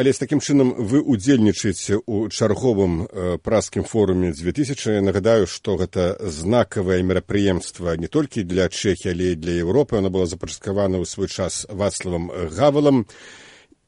Але з такім чынам вы удзельнічаеце ў чарговым праскім форуме 2000. Нагадаю, што гэта знакавае мерапрыемства не толькі для Чэхіі, але і для Еўропы. Оно было запачаткавана ў свой час Вацлавам Гавалам.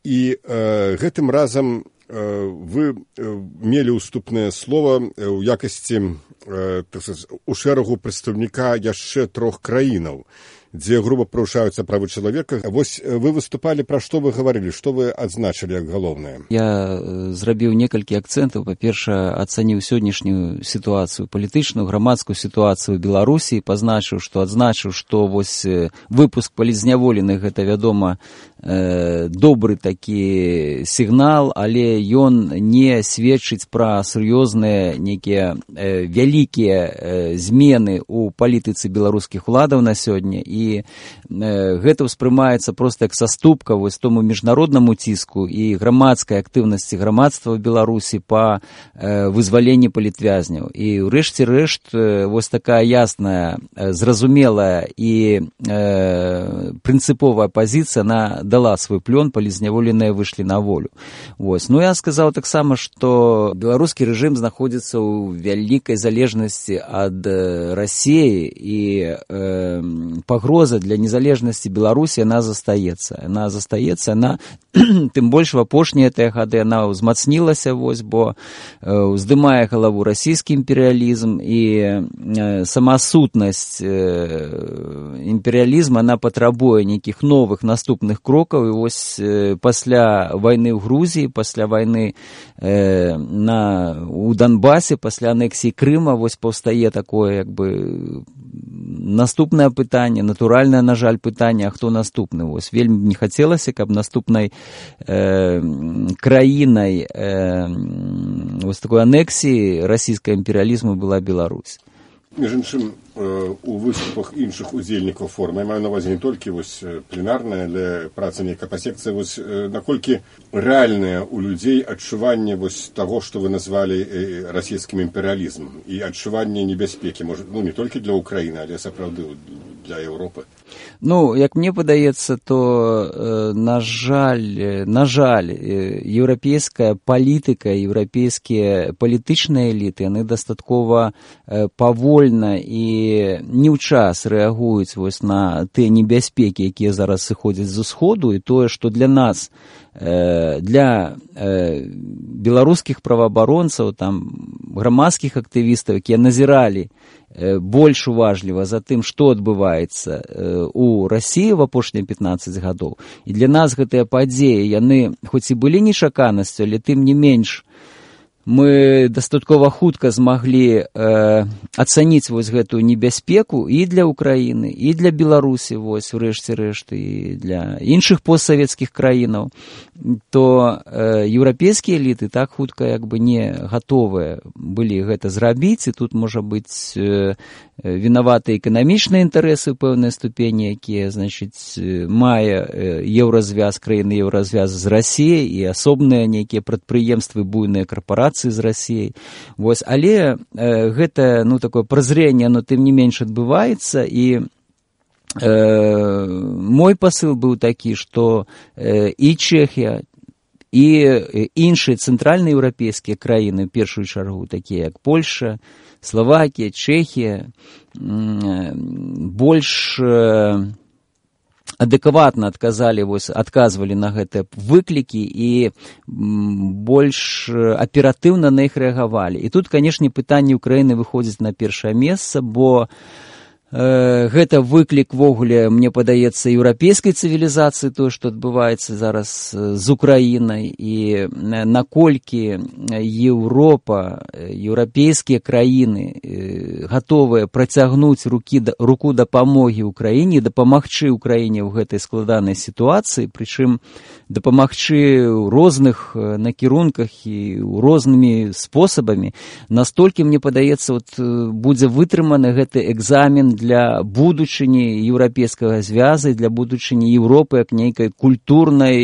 І гэтым разам вы мелі ўступнае слова ў якасці у шэрагу прадстаўніка яшчэ 3 краінаў, дзе груба парушаюцца правы чалавека. Вось вы выступалі, пра што вы гаварылі, што вы адзначылі як галоўнае? Я зрабіў некалькі акцэнтаў. Па-першае, ацаніў сённяшнюю сітуацыю палітычную, грамадскую сітуацыю ў Беларусі, адзначыў, што вось выпуск палізняволеных, гэта, вядома, добры такі сігнал, але ён не сведчыць пра сур'ёзныя нейкія вялікія змены ў палітыцы беларускіх уладаў на сёння, і гэта ўспрымаецца проста як саступка вось тому міжнароднаму ціску і грамадскай актыўнасці грамадства ў Беларусі па вызваленні палітвязняў. І ўрэшце рэшт вось такая ясная, зразумелая і прынцыповая пазіцыя на дала свой плён, палізняволеныя выйшлі на волю. Вось. Ну, я сказаў таксама, што беларускі рэжым знаходзіцца ў вялікай залежнасці ад Расіі, і пагроза для незалежнасці Беларусі, яна застаецца. Яна тым больш в апошнія гады яна ўзмацнілася, вось, бо уздымае галаву расійскі імперыялізм, і сама сутнасць імперыялізма, она патрабуе нейкіх новых наступных крокаў. І вось пасля вайны ў Грузіі, пасля вайны у Донбасе, пасля анексіі Крыма, вось паўстае такое, як бы, наступнае пытанне, натуральнае, на жаль, пытанне, а хто наступны? Вось вельмі не хацелася, каб наступнай краінай вось такой анексіі расійскага імперыялізму была Беларусь. Між іншым, у выступах іншых удзельнікаў форума, я маю на ўвазе не толькі вось пленарная, але праца нейкая па секцыі, вось наколькі рэальнае ў людзей адчуванне вось таго, што вы назвалі расійскім імперыялізмам, і адчуванне небяспекі, можа, ну, не толькі для Украіны, але сапраўды для Еўропы? Ну, як мне падаецца, то, на жаль, еўрапейская палітыка, еўрапейскія палітычныя эліты, яны дастаткова павольна і не ў час рэагуюць вось на тыя небяспекі, якія зараз сыходзяць з усходу, і тое, што для нас, для беларускіх праваабаронцаў, там, грамадскіх актывістаў, якія назіралі больш уважліва за тым, што адбываецца у Расіі в апошнія 15 гадоў. І для нас гэтыя падзеі, яны хоць і былі нечаканасцю, але тым не менш мы дастаткова хутка змаглі ацаніць вось гэтую небяспеку і для Украіны, і для Беларусі, вось, урэшце рэшт, і для іншых постсавецкіх краінаў, то еўрапейскія эліты так хутка як бы не гатовыя былі гэта зрабіць, і тут можа быць вінаваты эканамічныя інтарэсы ў пэўнай ступені, якія, значыць, мае еўразвяз, краіны еўразвяза з Расіяй, і асобныя нейкія прадпрыемствы, буйныя карпорацыі з Расіяй. Вось, але гэта, ну, такое празрэнне, но тым не менш адбываецца, і мой пасыл быў такі, што і Чэхія, і іншыя цэнтральнаеўрапейскія краіны, в першую чаргу, такія як Польша, Словакія, Чэхія, больш адэкватна адказвалі на гэтыя выклікі і больш аператыўна на іх рэагавалі. І тут, канешне, пытанне Украіны выходзіць на першае месца, бо гэта выклік вогуле, мне падаецца, еўрапейскай цывілізацыі, тое, што адбываецца зараз з Украінай, і наколькі Еўропа, еўрапейскія краіны гатовыя працягнуць руку дапамогі Украіне, дапамагчы Украіне ў гэтай складанай сітуацыі, прычым дапамагчы ў розных накірунках і рознымі спосабамі, настолькі, мне падаецца, будзе вытрыманы гэты экзамен для будучыні еўрапейскага звяза, для будучыні Еўропы як нейкай культурнай,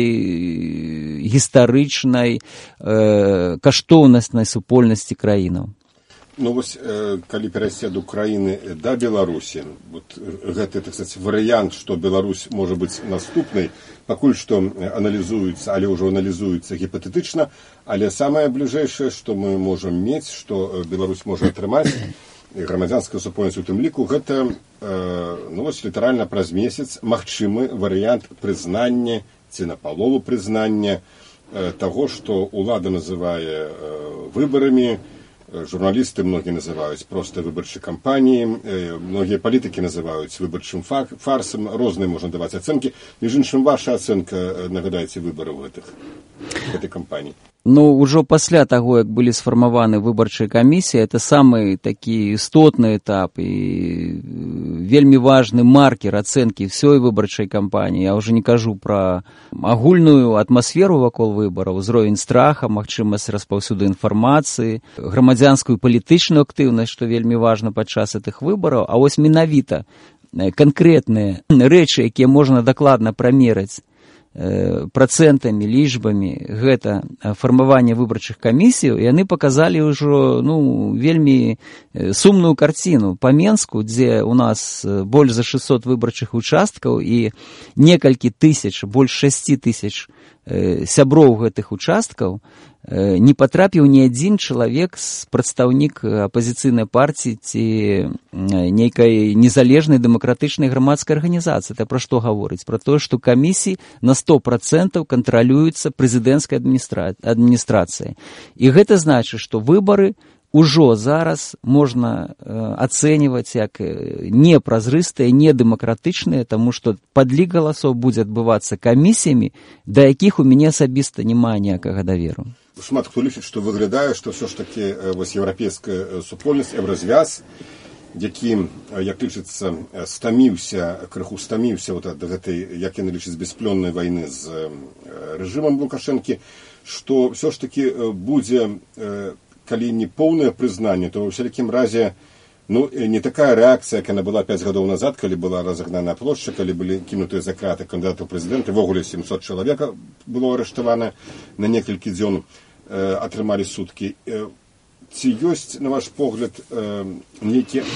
гістарычнай, каштоўнаснай супольнасці краінаў. Ну вось калі перайсці ад Украіны да Беларусі, вот гэты, так сказать, варыянт, што Беларусь можа быць наступнай, пакуль што аналізуецца, але ўжо аналізуецца гіпатэтычна, але самае бліжэйшае, што мы можам мець, што Беларусь можа атрымаць, і грамадзянская супольнасць у тым ліку, гэта ну вось літаральна праз месяц магчымы варыянт прызнання ці напалову прызнання таго, што ўлада называе выбарамі. Журналісты многія называюць проста выбарчай кампаніі, многія палітыкі называюць выбарчым фарсам, розныя можна даваць ацэнкі. Між іншым, ваша ацэнка, нагадаеце, выбараў гэтай кампаніі? Ну, ўжо пасля таго, як былі сфармаваны выбарчыя камісіі, это самы такі істотны этап і вельмі важны маркер ацэнкі ўсёй выбарчай кампаніі. Я ўжо не кажу пра агульную атмасферу вакол выбараў, узровень страха, магчымасць распаўсюду інфармацыі, грамадзянскую палітычную актыўнасць, што вельмі важна падчас гэтых выбараў. А вось менавіта канкрэтныя рэчы, якія можна дакладна прамераць працэнтамі, лічбамі, гэта фармаванне выбарчых камісій, яны паказалі ўжо вельмі сумную карціну. Па Менску, дзе у нас больш за 600 выбарчых участкаў і некалькі тысяч, больш 6 тысяч сяброў гэтых участкаў, не патрапіў ні адзін чалавек, прадстаўнік апазіцыйнай партыі ці нейкай незалежнай дэмакратычнай грамадскай арганізацыі. Это пра што гаворыць? Пра тое, што камісіі на 100% кантралююцца прэзідэнцкай адміністрацыяй. І гэта значыць, што выбары ўжо зараз можна ацэньваць як непразрыстыя, недэмакратычныя, таму што падлік галасоў будзе адбывацца камісіямі, да якіх у мяне асабіста няма ніякага даверу. Шмат хто лічыць, што выглядае, што ўсё ж такі вось еўрапейская супольнасць, еўразвяз, які, як лічыцца, крыху стаміўся ад гэтай, як яны лічаць, бясплённай вайны з рэжымам Лукашэнкі, што ўсё ж такі будзе, калі не поўнае прызнанне, то ва ўсялякім разе не такая рэакцыя, як яна была 5 гадоў назад, калі была разагнаная плошча, калі былі кінутыя за краты кандыдаты ў прэзідэнты, ввогуле 700 чалавек было арыштавана на некалькі дзён, атрымалі суткі. Ці ёсць, на ваш погляд, нейкі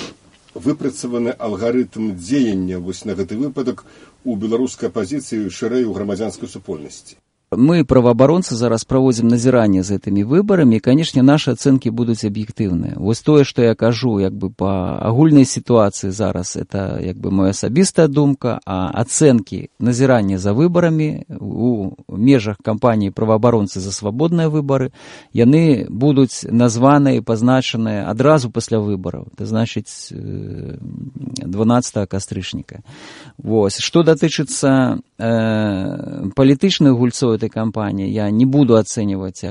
выпрацаваны алгарытм дзеяння вось на гэты выпадак у беларускай апазіцыі, шырэй у грамадзянскай супольнасці? Мы, праваабаронцы, зараз праводзім назіранне з гэтымі выбарамі, і, канешне, нашы ацэнкі будуць аб'ектыўныя. Вось тое, што я кажу, па агульнай сітуацыі зараз, это, моя асабістая думка, а ацэнкі назірання за выбарамі у межах кампаніі праваабаронцы за свабодныя выбары, яны будуць названыя і пазначаныя адразу пасля выбараў. Это значыць 12 кастрычніка. Вось. Што датычыцца палітычных гульцоў этой кампании, я не буду оценивать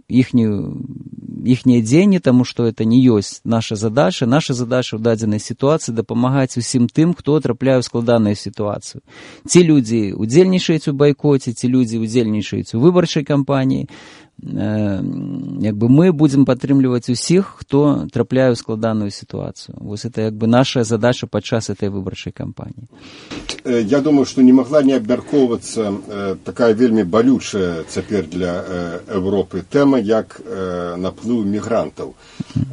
ихние дзеянні, тому что это не ёсць наша задача. Наша задача ў дадзенай сітуацыі дапамагаць усім тым, хто трапляе ў складаную сітуацыю. Ці людзі удзельнічаюць у байкоце, ці людзі удзельнічаюць у выбарчай кампаніі. Мы будем падтрымліваць усіх, хто трапляе ў складаную сітуацыю. Вось это наша задача падчас этой выбарчай кампаніі. Я думаю, што не магла не абмяркоўвацца такая вельмі балючая цяпер для Европы тэма, як наплыў мігрантаў.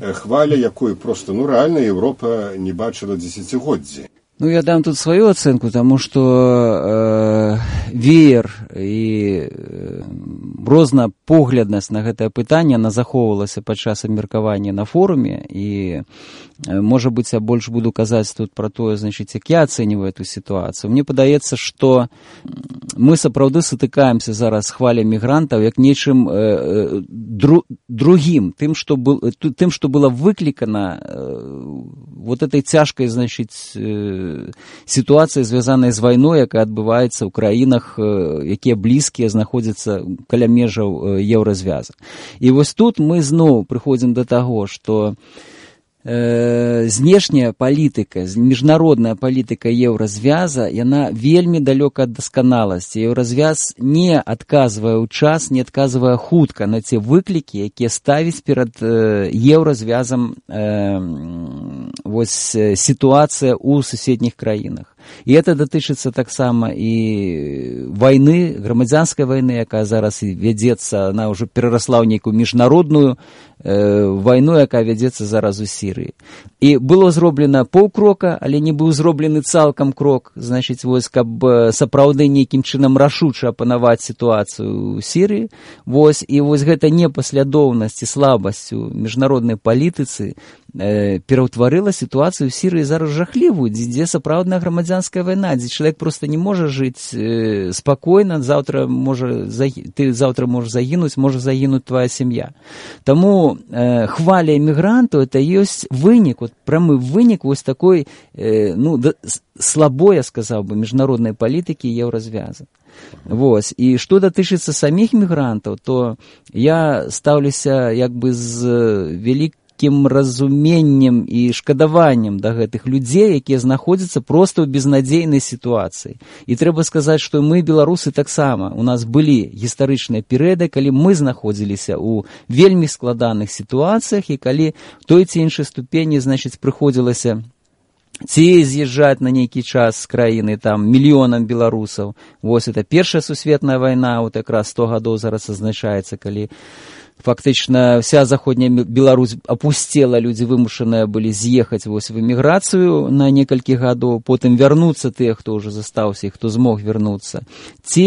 Хваля, якой проста рэальна Европа не бачыла дзесяцігоддзі. Я дам тут свою оценку, тому что веер і рознапогляднасць на гэтае пытанне, она захоўвалася падчас абмеркавання на форуме, і, можа быць, я больш буду казаць тут пра тое, як я ацэньваю эту сітуацыю. Мне падаецца, што мы сапраўды сутыкаемся зараз з хваляй мігрантаў як нечым другім, тым, што было выклікана вот этой цяжкай, сітуацыя, звязаная з вайной, якая адбываецца ў краінах, якія блізкія, знаходзяцца каля межаў еўразвяза. І вось тут мы зноў прыходзім да таго, што знешняя палітыка, міжнародная палітыка еўразвяза, яна вельмі далёка ад дасканаласці. Еўразвяз не адказвае ў час, не адказвае хутка на те выклікі, якія ставіць перад еўразвязам сітуацыя ў суседніх краінах. І гэта датычыцца таксама і вайны, грамадзянскай вайны, якая зараз вядзецца, она ўжо перарасла ў нейкую міжнародную вайну, якая вядзецца зараз у Сірыі. І было зроблена паўкрока, але не быў зроблены цалкам крок, значыць, вось, каб сапраўды нейкім чынам рашуча апанаваць сітуацыю ў Сірыі. Вось, і вось гэта непаслядоўнасць і слабасць у міжнароднай палітыцы пераўтварыла сітуацыю ў Сірыі зараз жахлівую, дзе сапраўдная грамадзянская вайна, дзе чалавек проста не можа жыць спакойна, ты заўтра можаш загінуць, можа загінуць твая сям'я. Таму хваля эмігрантаў это ёсць вынік, вот прамы вынік вось такой, слабой, я сказаў бы, міжнароднай палітыкі і еўразвяза. Вось. І што датычыцца саміх мігрантаў, то я стаўлюся як бы з вялікім разуменнем і шкадаваннем да гэтых людзей, якія знаходзяцца проста ў безнадзейнай сітуацыі. І трэба сказаць, што мы, беларусы, таксама. У нас былі гістарычныя перыяды, калі мы знаходзіліся ў вельмі складаных сітуацыях, і калі в той ці іншай ступені, значыць, прыходзілася ці з'язджаць на нейкі час з краіны там мільёнам беларусаў. Вось это Першая сусветная вайна, вот якраз 100 гадоў зараз азначаецца, калі фактычна вся заходняя Беларусь опустела, людзі вымушаныя былі з'ехаць вось в эміграцыю на некалькі гадоў, потым вярнуцца тыя, хто ўжо застаўся і хто змог вярнуцца. Ці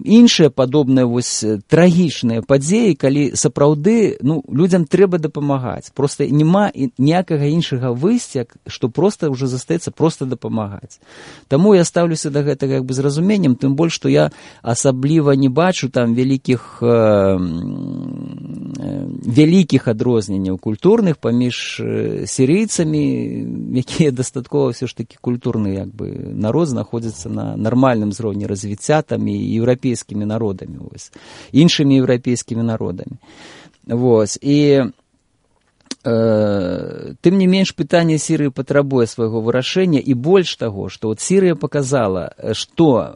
іншыя падобныя вось трагічныя падзеі, калі сапраўды людзям трэба дапамагаць. Проста няма ніякага іншага выйсця, што проста ўжо застаецца проста дапамагаць. Таму я стаўлюся да гэтага як бы з разуменнем, тым больш, што я асабліва не бачу там вялікіх адрозненняў культурных паміж сірыйцамі, якія дастаткова ўсё ж такі культурны як бы народ, знаходзіцца на нармальным узроўні развіцця там і еўрапейскімі народамі, вось, іншымі еўрапейскімі народамі. Вось. І тым не менш, пытанне Сірыі патрабуе свайго вырашэння, і больш таго, што от Сірыя паказала, што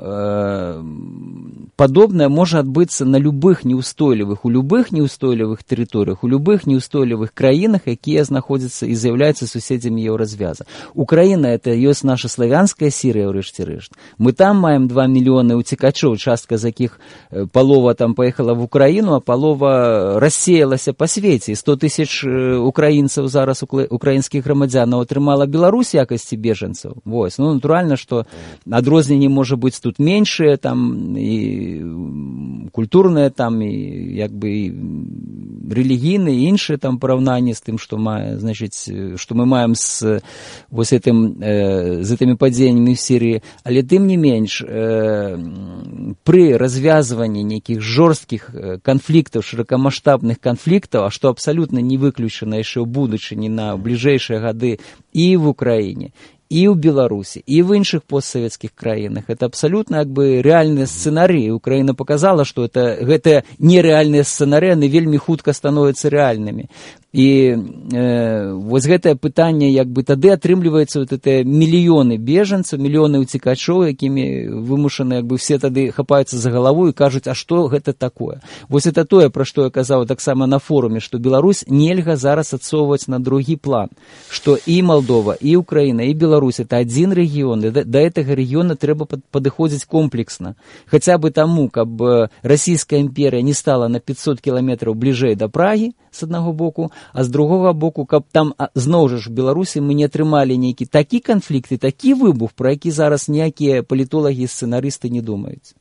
падобнае можа адбыцца на любых неўстойлівых тэрыторыях, у любых неўстойлівых краінах, якія знаходзяцца і з'яўляюцца суседзямі еўразвяза. Украіна — это ёсць наша славянская Сірыя, ўрэшце рэшт. Мы там маем 2 мільёны уцекачоў, частка з якіх палова там паехала в Украіну, а палова рассеялася па свеце. 100 тысяч украінцаў зараз, украінскіх грамадзянаў, атрымала Беларусь якасці бежанцаў. Вось. Натуральна, што адрозненні можа быць тут меншыя, там і культурныя, там і як бы і рэлігійныя, і іншыя там параўнанні з тым, што мы маем з вось гэтымі падзеяннямі в Сірыі. Але тым не менш, пры развязванні нейкіх жорсткіх канфліктаў, шырокамаштабных канфліктаў, а што абсалютна не выключана яшчэ ў будучыні на бліжэйшыя гады і в Украіне, і ў Беларусі, і в іншых постсавецкіх краінах. Это абсалютна як бы рэальныя сцэнарыі. Украіна показала, што гэтыя нерэальныя сцэнарыі, яны вельмі хутка становяцца рэальнымі. І вось гэтае пытанне, як бы тады атрымліваецца вот это мільёны бежанцаў, мільёны уцекачоў, якімі вымушаны як бы все тады хапаюцца за галаву і кажуць, а што гэта такое? Вось это тое, пра што я казаў таксама на форуме, што Беларусь нельга зараз адсоўваць на другі план, што і Малдова, і Украіна, і Беларусь — это адзін рэгіён, і да гэтага рэгіёна трэба падыходзіць комплексна. Хаця бы таму, каб расійская імперія не стала на 500 кіламетраў бліжэй да Прагі, з аднаго боку, а з другога боку, каб там зноў жа в Беларусі мы не атрымалі нейкі такі канфлікт і такі выбух, про які зараз ніякія палітолагі і сцэнарысты не думаюць.